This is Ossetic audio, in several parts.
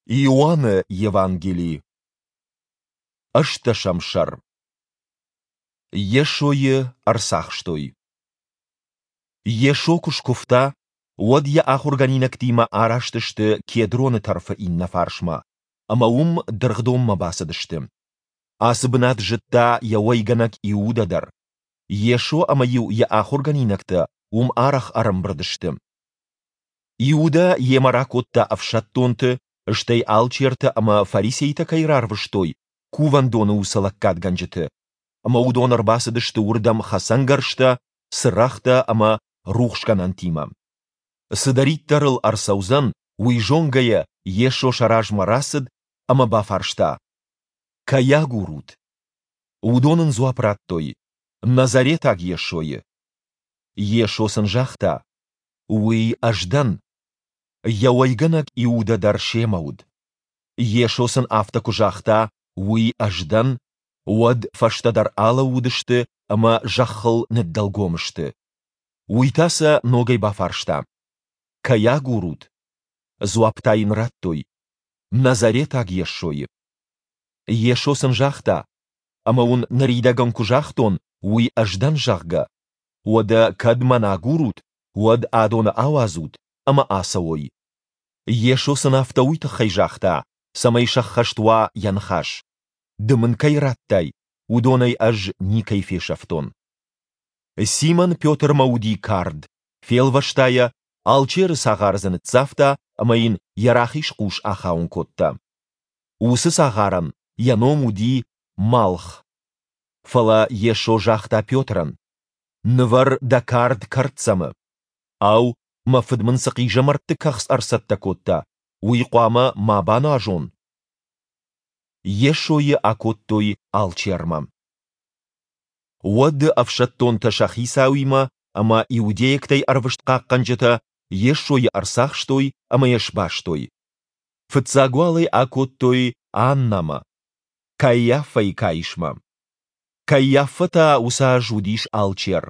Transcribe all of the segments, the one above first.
Иоанны Евангели, ӕстдӕсӕм сӕр. Йесойы ӕрцахстой. Йесо куы скуывта, уӕд йӕ ахуыргӕнинӕгтимӕ араст сты Кедроны тӕрфы иннӕ фарсмӕ, ӕмӕ уым дыргъдонмӕ бацыдысты. Ацы бынат зыдта йӕ уӕйгӕнӕг Иудӕ дӕр. Йесо ӕмӕ-иу йӕ ахуыргӕнинӕгтӕ уым арӕх ӕрӕмбырд сты. Иудӕ йемӕ ракодта ӕфсӕддонты, стӕй алчертӕ ӕмӕ фарисейтӕ кӕй рарвыстой, кувӕндоны уыцы лӕггадгӕнджыты. Ӕмӕ уыдон ӕрбацыдысты уырдӕм хӕцӕнгӕрзтӕ, цырӕгътӕ ӕмӕ рухсгӕнӕнтимӕ. Цыдӕриддӕр ыл ӕрцӕудзӕн, уый зонгӕйӕ Йесо сӕ размӕ рацыд ӕмӕ бафарста: Кӕй агурут? Уыдон ын дзуапп радтой: Назаретаг Йесойы. Йесо сын загъта: Уый ӕз дӕн. Йӕ уӕйгӕнӕг Иудӕ дӕр семӕ уыд. Йесо сын афтӕ куы загъта, уый ӕз дӕн, уӕд фӕстӕдӕр алӕууыдысты ӕмӕ зӕххыл ныддӕлгом сты. Уый та сӕ ногӕй бафарста: Кӕй агурут? Дзуапп та йын радтой: Назаретаг Йесойы. Йесо сын загъта: Ӕмӕ уын ныридӕгӕн куы загътон, уый ӕз дӕн, зӕгъгӕ, Уӕдӕ кӕд мӕн агурут, уӕд адоны ауадзут ӕмӕ ацӕуой. Йесо сын афтӕ уый тыххӕй загъта, цӕмӕй сӕххӕст уа йӕ ныхас: Ды мын кӕй радтай, уыдонӕй ӕз никӕй фесӕфтон. Симон Петрмӕ уыди кард, фелвӕста йӕ, алчеры цагъар дзы ныццавта ӕмӕ йын йӕ рахиз хъус ахауын кодта. Уыцы цагъарӕн йӕ ном уыди Малх. Фӕлӕ Йесо загъта Петрӕн, Нывӕр дӕ кард кӕрддзӕмы. Ау, мӕ фыд мын цы хъизӕмӕртты кӕхц ӕрцӕттӕ кодта, уый хъуамӕ ма бануазон? Йесойы акодтой алчермӕ. Уӕд ӕфсӕддонтӕ сӕ хицауимӕ ӕмӕ иудейӕгтӕй ӕрвыст хъахъхъӕнджытӕ Йесойы ӕрцахстой ӕмӕ йӕ сбастой. Фыццаг уал ӕй акодтой Аннӕмӕ, Каиаффӕйы каисмӕ. Каиаффӕ та уыцы аз уыдис алчер.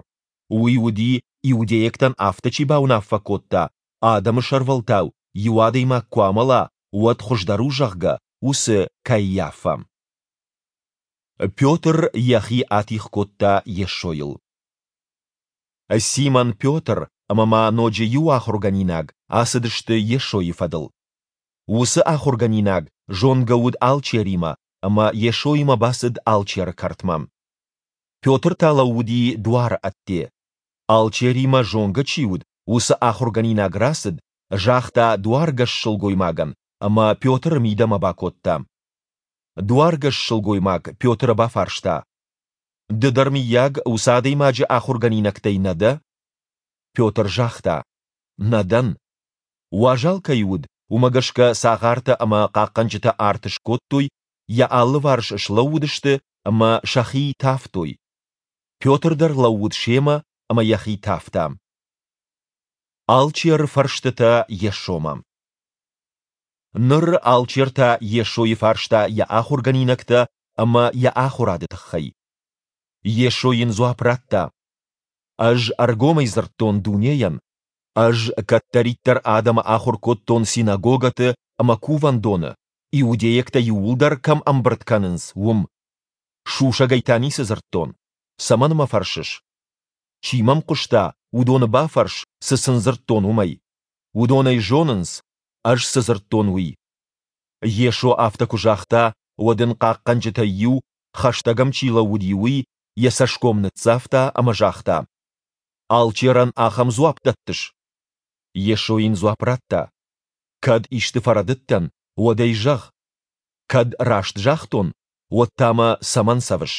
Уый уыди, иудейӕгтӕн афтӕ чи бауынаффӕ кодта, адӕмы сӕрвӕлтау иу адӕймаг куы амӕла, уӕд хуыздӕр у, зӕгъгӕ, уыцы Каиаффӕ. Петр йӕхи атигъ кодта Йесойыл. Симон Петр ӕмӕ ма ноджы иу ахуыргӕнинаг ацыдысты Йесойы фӕдыл. Уыцы ахуыргӕнинаг зонгӕ уыд алчеримӕ ӕмӕ Йесоимӕ бацыд алчеры кӕртмӕ. Петр та лӕууыди дуары ӕдде. Алчеримӕ зонгӕ чи уыд, уыцы ахуыргӕнинаг рацыд, загъта дуаргӕс сылгоймагӕн ӕмӕ Петры мидӕмӕ бакодта. Дуаргӕс сылгоймаг Петры бафарста: Ды дӕр, мыййаг, уыцы адӕймаджы ахуыргӕнинӕгтӕй нӕ дӕ? Петр загъта: Нӕ дӕн. Уазал кӕй уыд, уымӕ гӕсгӕ цагъартӕ ӕмӕ хъахъхъӕнджытӕ арт скодтой, йӕ алыварс слӕууыдысты ӕмӕ сӕхи тавтой. Петр дӕр лӕууыд семӕ ӕмӕ йӕхи тавта. Алчеры фӕрстытӕ Йесомӕ. Ныр алчер та Йесойы фарста йӕ ахуыргӕнинӕгтӕ ӕмӕ йӕ ахуырады тыххӕй. Йесо йын дзуапп радта: Ӕз ӕргомӕй дзырдтон дунейӕн, Ӕз кӕддӕриддӕр адӕмы ахуыр кодтон синагогӕты ӕмӕ кувӕндоны, иудейӕгтӕ иууылдӕр кӕм ӕмбырд кӕнынц, уым. Сусӕгӕй та ницы дзырдтон. Цӕмӕн мӕ фӕрсыс? Чи мӕм хъуыста, уыдоны бафӕрс, цы сын дзырдтон, уымӕй. Уыдон ӕй зонынц, ӕз цы дзырдтон, уый. Йесо афтӕ куы загъта, уӕд ын хъахъхъӕнджытӕй иу, хӕстӕг ӕм чи лӕууыди, уый, йӕ цӕсгом ныццавта ӕмӕ загъта: Алчерӕн ахӕм дзуапп дӕттыс? Йесо йын дзуапп радта: Кӕд исты фӕрӕдыдтӕн, уӕд ӕй зӕгъ. Кӕд раст загътон, уӕд та мӕ цӕмӕн цӕвыс?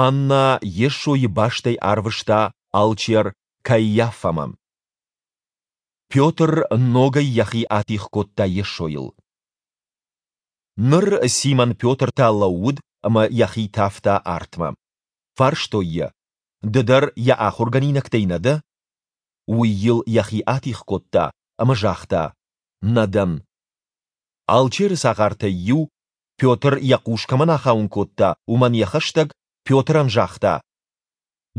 Аннӕ Йесойы бастӕй арвыста алчер Каиаффӕмӕ. Петр ногӕй йӕхи атигъ кодта Йесойыл. Ныр Симон Петр та лӕууыд ӕмӕ йӕхи тавта артмӕ. Фарстой йӕ, Ды дӕр йӕ ахуыргӕнинӕгтӕй нӕ дӕ? Уый йыл йӕхи атигъ кодта ӕмӕ загъта, Нӕ дӕн. Алчеры цагъартӕй иу, Петр йӕ хъус кӕмӕн ахауын кодта, уымӕн йӕ хӕстӕг, Петрӕн загъта,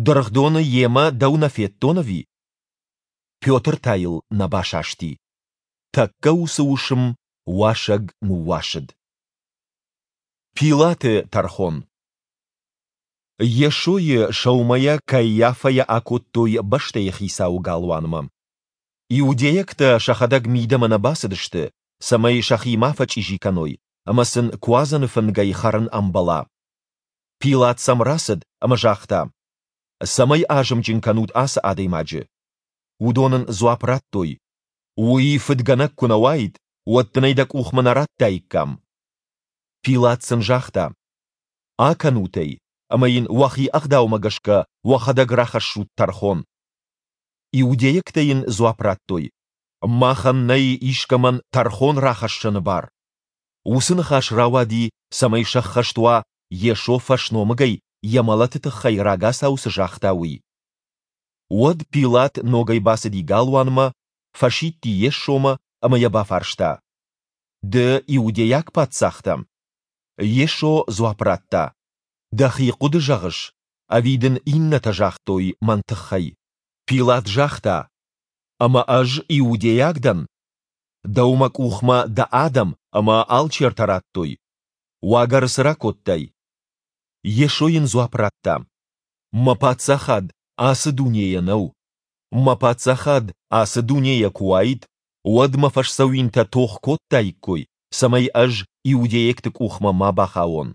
Дыргъдоны йемӕ дӕу нӕ федтон ӕви? Петр та йыл нӕ басасти. Тӕккӕ уыцы уысм Уасӕг ныууасыд. Пилаты тӕрхон. Йесойы сӕумӕйӕ Каиафӕйӕ акодтой бӕстӕйы хицауы галуанмӕ. Иудейӕгтӕ сӕхӕдӕг мидӕмӕ нӕ бацыдысты, цӕмӕй сӕхи ма фӕчъизи кӕной ӕмӕ сын Куадзӕны фынгӕй хӕрын ӕмбӕла. Пилат сӕм рацыд ӕмӕ загъта, Цӕмӕй азымджын кӕнут ацы адӕймаджы? Уыдон ын дзуапп радтой, Уый фыдгӕнӕг куы нӕ уаид, уӕд дын ӕй дӕ къухмӕ нӕ радтаиккам. Пилат сын загъта, Акӕнут ӕй, ӕмӕ йын уӕхи ӕгъдаумӕ гӕсгӕ уӕхӕдӕг рахӕссут тӕрхон. Иудейӕгтӕ йын дзуапп радтой, Махӕн нӕй искӕмӕн тӕрхон рахӕссыны бар. Уыцы ныхас рауади, цӕмӕй сӕххӕст уа, Йесо фӕсномыгӕй йӕ мӕлӕты тыххӕй рагацау цы загъта, уый. Уӕд Пилат ногӕй бацыди галуанмӕ, фӕсидти Йесомӕ ӕмӕ йӕ бафарста, Ды иудейаг паддзах дӕ? Йесо дзуапп радта, Дӕхи хъуыды зӕгъыс, ӕви дын иннӕтӕ загътой мӕн тыххӕй? Пилат загъта, Ӕмӕ ӕз иудейаг дӕн? Дӕу мӕ къухмӕ дӕ адӕм ӕмӕ алчертӕ радтой. Уагӕры цы ракодтай? Йесо йын дзуапп радта, Мӕ паддзахад ацы дунейӕ нӕу. Мӕ паддзахад ацы дунейӕ куы уаид, уӕд мӕ фӕсдзӕуинтӕ тох кодтаиккой, цӕмӕй ӕз иудейӕгты къухмӕ ма бахауон.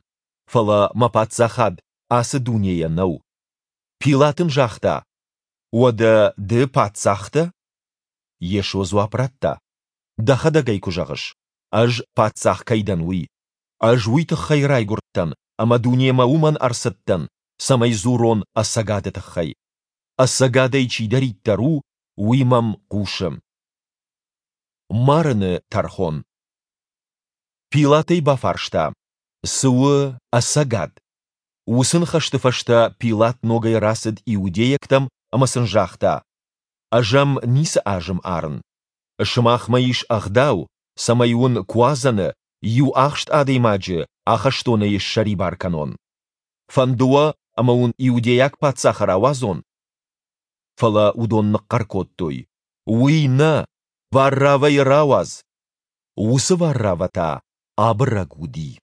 Фӕлӕ мӕ паддзахад ацы дунейӕ нӕу. Пилат ын загъта, Уӕдӕ ды паддзах дӕ? Йесо дзуапп радта, Дӕхӕдӕг ӕй куы зӕгъыс, ӕз паддзах кӕй дӕн, уый. Ӕз уый тыххӕй райгуырдтӕн ӕмӕ дунемӕ уымӕн ӕрцыдтӕн, цӕмӕй дзурон ӕцӕгады тыххӕй. Ӕцӕгадӕй чидӕриддӕр у, уый мӕм хъусы. Марыны тӕрхон. Пилат ӕй бафарста, Цы у ӕцӕгад? Уыцы ныхӕсты фӕстӕ Пилат ногӕй рацыд иудейӕгтӕм ӕмӕ сын загъта, Ӕз ӕм ницы азым арын. Сымахмӕ ис ӕгъдау, цӕмӕй уын Куадзӕны иу ахст адӕймаджы ахӕстонӕй ссӕрибар кӕнон. Фӕнды уӕ, ӕмӕ уын иудейаг паддзахы рауадзон? Фӕлӕ уыдон ныхъхъӕр кодтой, Уый нӕ, Варравӕйы рауадз! Уыцы Варравӕ та абырӕг уыди.